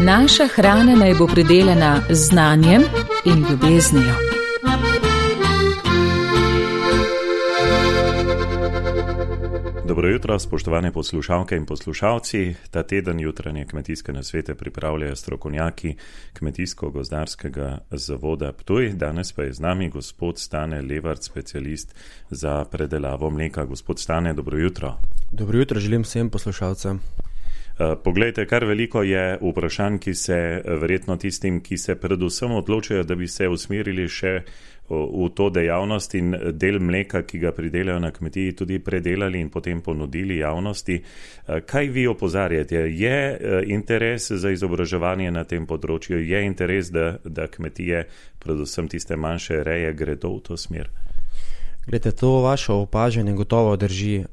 Naša hrana naj bo pridelana z znanjem in ljubeznijo. Dobro jutro, spoštovane poslušalke in poslušalci. Ta teden jutranje kmetijske nasvete pripravljajo strokovnjaki Kmetijsko-gozdarskega zavoda Ptuj. Danes pa je z nami gospod Stane Levart, specialist za predelavo mleka. Gospod Stane, dobro jutro. Dobro jutro, želim vsem poslušalcem. Poglejte, kar veliko je vprašanj, ki se verjetno tistim, ki se predvsem odločajo, da bi se usmerili še v to dejavnost in del mleka, ki ga pridelajo na kmetiji, tudi predelali in potem ponudili javnosti. Kaj vi opozarjate? Je interes za izobraževanje na tem področju? Je interes, da kmetije, predvsem tiste manjše reje, gredo v to smer? Glede, to vaše opažanje gotovo drži.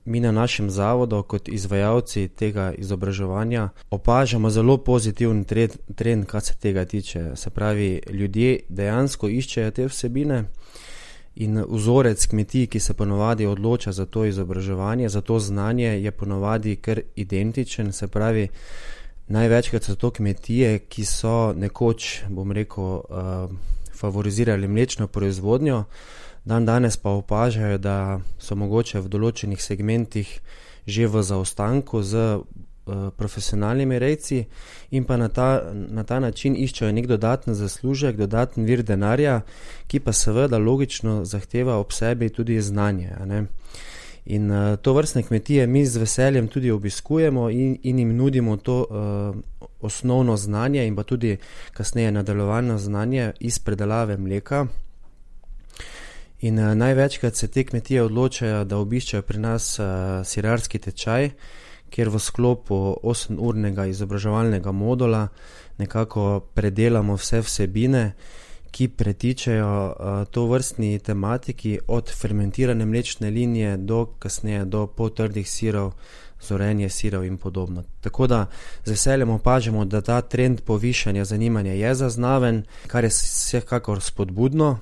Mi na našem zavodu kot izvajalci tega izobraževanja opažamo zelo pozitiven trend, kar se tega tiče. Se pravi, ljudje dejansko iščejo te vsebine in vzorec kmetij, ki se ponovadi odloča za to izobraževanje, za to znanje, je ponovadi kar identičen. Se pravi, največkrat so to kmetije, ki so nekoč, bom rekel, favorizirali mlečno proizvodnjo, danes pa opažajo, da so mogoče v določenih segmentih že v zaostanku z profesionalnimi rejci in pa na ta način iščejo nek dodaten zaslužek, dodaten vir denarja, ki pa seveda logično zahteva ob sebi tudi znanje. Ne? In to vrstne kmetije mi z veseljem tudi obiskujemo in jim nudimo to osnovno znanje in pa tudi kasneje nadaljevano znanje iz predelave mleka. In največkrat se te kmetije odločajo, da obiščejo pri nas sirarski tečaj, kjer v sklopu 8-urnega izobraževalnega modula nekako predelamo vse vsebine, ki pretičejo to vrstni tematiki od fermentirane mlečne linije do kasneje do poltrdih sirov, zorenje sirov in podobno. Tako da z veseljem opažamo, da ta trend povišanja zanimanja je zaznaven, kar je vsekakor spodbudno.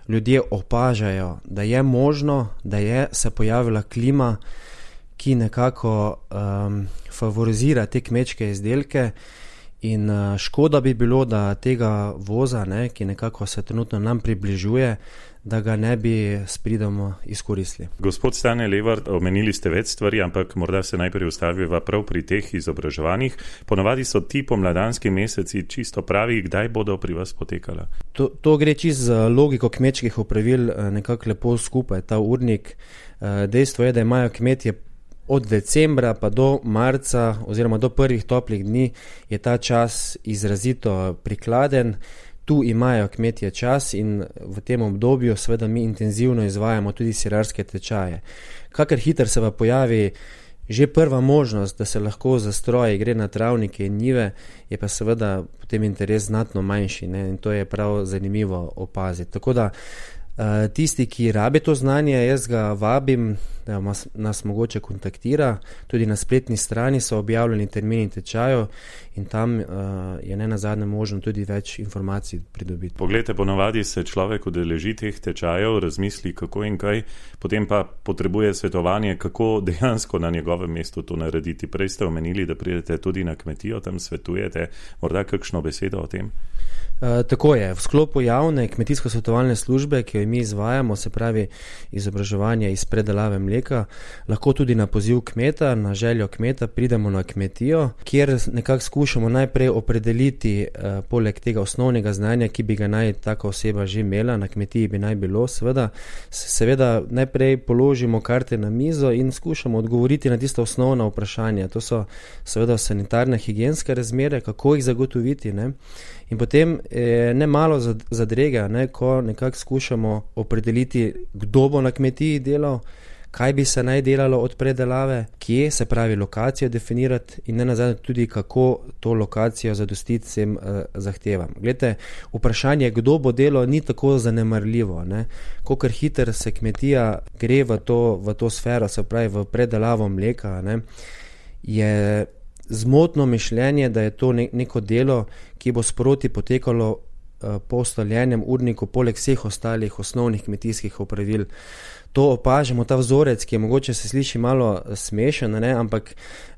Ljudje opažajo, da je možno, da je se pojavila klima, ki nekako favorizira te kmečke izdelke in škoda bi bilo, da tega voza, ki nekako se trenutno nam približuje, da ga ne bi s pridom izkoristili. Gospod Stane Levart, omenili ste več stvari, ampak morda se najprej ustaviva prav pri teh izobraževanjih. Ponavadi so ti pomladanski meseci čisto pravi, kdaj bodo pri vas potekala? To gre čisto z logiko kmečkih opravil nekako lepo skupaj, ta urnik. Dejstvo je, da imajo kmetje od decembra pa do marca oziroma do prvih toplih dni je ta čas izrazito prikladen. Tu imajo kmetje čas in v tem obdobju seveda mi intenzivno izvajamo tudi sirarske tečaje. Kakor hitro se pa pojavi že prva možnost, da se lahko za stroje gre na travnike in njive, je pa seveda potem interes znatno manjši, in to je prav zanimivo opaziti. Tako da tisti, ki rabi to znanje, jaz ga vabim, da nas mogoče kontaktira. Tudi na spletni strani so objavljeni termini tečajev in tam je nenazadnje možno tudi več informacij pridobiti. Poglejte, ponovadi se človek udeleži teh tečajev, razmisli kako in kaj, potem pa potrebuje svetovanje, kako dejansko na njegovem mestu to narediti. Prej ste omenili, da pridete tudi na kmetijo, tam svetujete, morda kakšno besedo o tem? Tako je. V sklopu javne kmetijsko-svetovalne službe, ki jo mi izvajamo, se pravi izobraževanje iz predelave mleka, lahko tudi na poziv kmeta, na željo kmeta pridemo na kmetijo, kjer nekako skušamo najprej opredeliti poleg tega osnovnega znanja, ki bi ga naj taka oseba že imela, na kmetiji bi naj bilo, seveda najprej položimo karte na mizo in skušamo odgovoriti na tista osnovna vprašanja. To so seveda sanitarne, higienske razmere, kako jih zagotoviti, In potem ne malo zadrega, ko nekako skušamo opredeliti, kdo bo na kmetiji delal, kaj bi se naj delalo od predelave, kje, se pravi lokacijo definirati in nenazadnje tudi, kako to lokacijo zadostiti vsem zahtevam. Glejte, vprašanje, kdo bo delal, ni tako zanemarljivo. Kolikor hitro se kmetija gre v to sfero, se pravi v predelavo mleka, je zmotno mišljenje, da je to neko delo, ki bo sproti potekalo po ustaljenem urniku, poleg vseh ostalih osnovnih kmetijskih opravil. To opažamo, ta vzorec, ki je mogoče se sliši malo smešen, ne? Ampak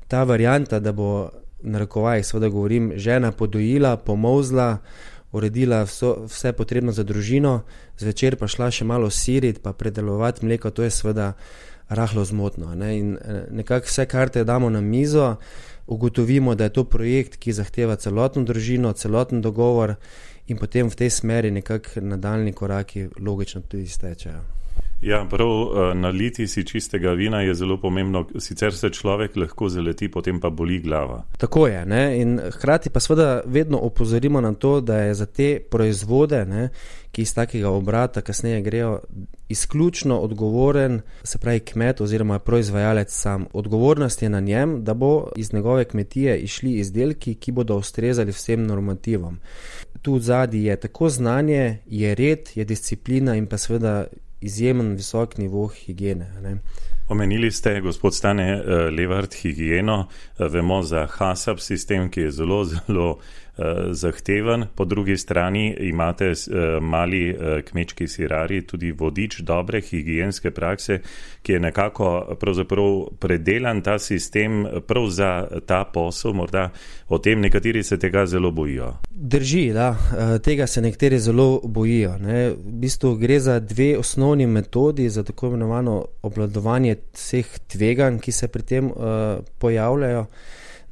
ta varianta, da bo, na narekovajih seveda govorim, žena podojila, pomolzla, uredila vse potrebno za družino, zvečer pa šla še malo sirit, pa predelovati mleko, to je seveda rahlo zmotno. Ne? In nekako vse karte damo na mizo, ugotovimo, da je to projekt, ki zahteva celotno družino, celoten dogovor in potem v tej smeri nekako nadaljni koraki logično tudi stečajo. Ja, prav naliti si čistega vina je zelo pomembno, sicer se človek lahko zaleti, potem pa boli glava. Tako je, ne? In hkrati pa seveda vedno opozorimo na to, da je za te proizvode, ne, ki iz takega obrata kasneje grejo, izključno odgovoren, se pravi kmet oziroma proizvajalec sam. Odgovornost je na njem, da bo iz njegove kmetije išli izdelki, ki bodo ustrezali vsem normativom. Tu zadnji je tako znanje, je red, je disciplina in pa seveda izjemen visok nivo higiene. Ne? Omenili ste, gospod Stane Levart, higieno. Vemo za HACCP sistem, ki je zelo, zelo zahteven. Po drugi strani imate mali kmečki sirarji tudi vodič dobre higienske prakse, ki je nekako pravzaprav predelan ta sistem prav za ta posel. Morda o tem nekateri se tega zelo bojijo. Drži, da. Tega se nekateri zelo bojijo. Ne. V bistvu gre za dve osnovni metodi za tako imenovano obvladovanje vseh tveganj, ki se pri tem pojavljajo,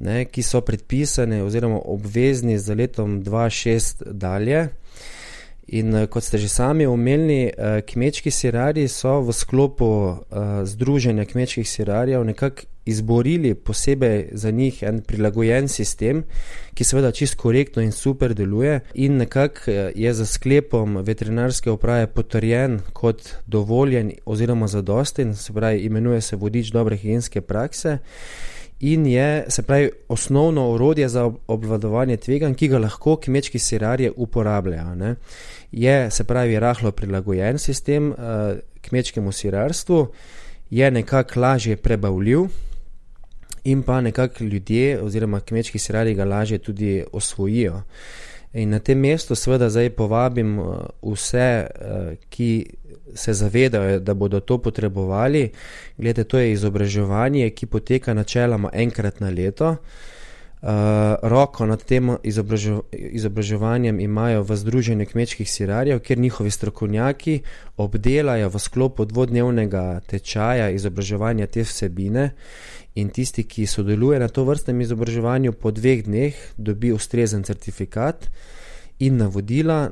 ne, ki so predpisane oziroma obvezni za letom 2006 dalje. In kot ste že sami omenili, kmečki sirarji so v sklopu Združenja kmečkih sirarjev nekako izborili posebej za njih en prilagojen sistem, ki seveda čisto korektno in super deluje in nekako je za sklepom veterinarske uprave potrjen kot dovoljen oziroma zadosten, se pravi imenuje se vodič dobre higienske prakse. In je, se pravi, osnovno orodje za obvladovanje tveganj, ki ga lahko kmečki sirarji uporabljajo. Ne. Je, se pravi, rahlo prilagojen sistem kmečkemu sirarstvu, je nekako lažje prebavljiv in pa nekako ljudje oziroma kmečki sirarji ga lažje tudi osvojijo. In na tem mestu seveda zdaj povabim vse, ki se zavedajo, da bodo to potrebovali. Glede, to je izobraževanje, ki poteka načeloma enkrat na leto. Roko nad tem izobraževanjem imajo v Združenju kmečkih sirarjev, kjer njihovi strokovnjaki obdelajo v sklopu dvodnevnega tečaja izobraževanja te vsebine in tisti, ki sodeluje na to vrstnem izobraževanju, po 2 dneh dobi ustrezen certifikat in navodila,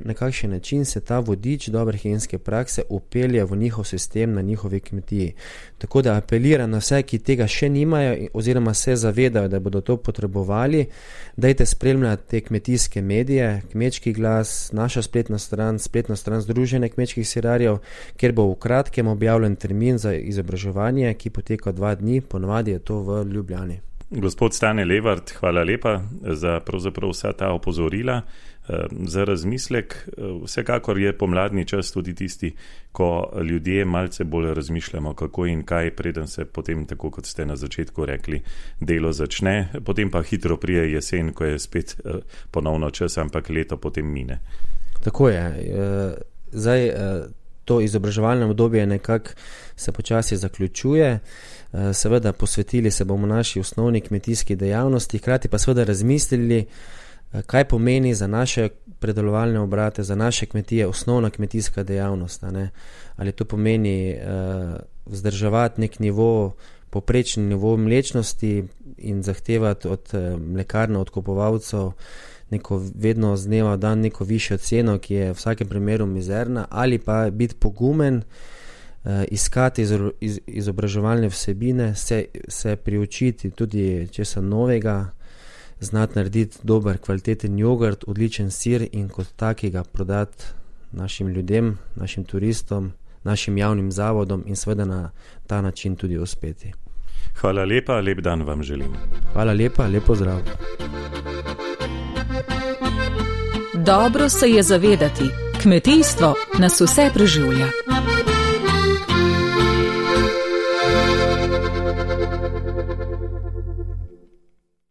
na kakšen način se ta vodič dobre higienske prakse upelje v njihov sistem na njihovi kmetiji. Tako da apeliram na vse, ki tega še nimajo oziroma se zavedajo, da bodo to potrebovali, dajte spremljati te kmetijske medije, Kmečki glas, naša spletna stran Združenja kmečkih sirarjev, kjer bo v kratkem objavljen termin za izobraževanje, ki poteka 2 dni, ponavadi je to v Ljubljani. Gospod Stane Levart, hvala lepa za pravzaprav vsa ta opozorila, za razmislek. Vsekakor je pomladni čas tudi tisti, ko ljudje malce bolj razmišljamo, kako in kaj, preden se potem, tako kot ste na začetku rekli, delo začne, potem pa hitro prije jesen, ko je spet ponovno čas, ampak leto potem mine. Tako je. Zdaj, to izobraževalne obdobje nekako se počasi zaključuje. Seveda posvetili se bomo naši osnovni kmetijski dejavnosti, hkrati pa seveda razmislili, kaj pomeni za naše predelovalne obrate, za naše kmetije osnovna kmetijska dejavnost. Ne? Ali to pomeni vzdrževati nek nivo, poprečni nivo mlečnosti in zahtevati od mlekarna, od kupovalcev neko vedno z dneva v dan neko višjo ceno, ki je v vsakem primeru mizerna, ali pa biti pogumen, iskati izobraževalne vsebine, se priučiti tudi česa novega, znati narediti dober, kvaliteten jogurt, odličen sir in kot takega prodati našim ljudem, našim turistom, našim javnim zavodom in seveda na ta način tudi uspeti. Hvala lepa, lep dan vam želim. Hvala lepa, lep pozdrav. Dobro se je zavedati, kmetijstvo nas vse preživlja.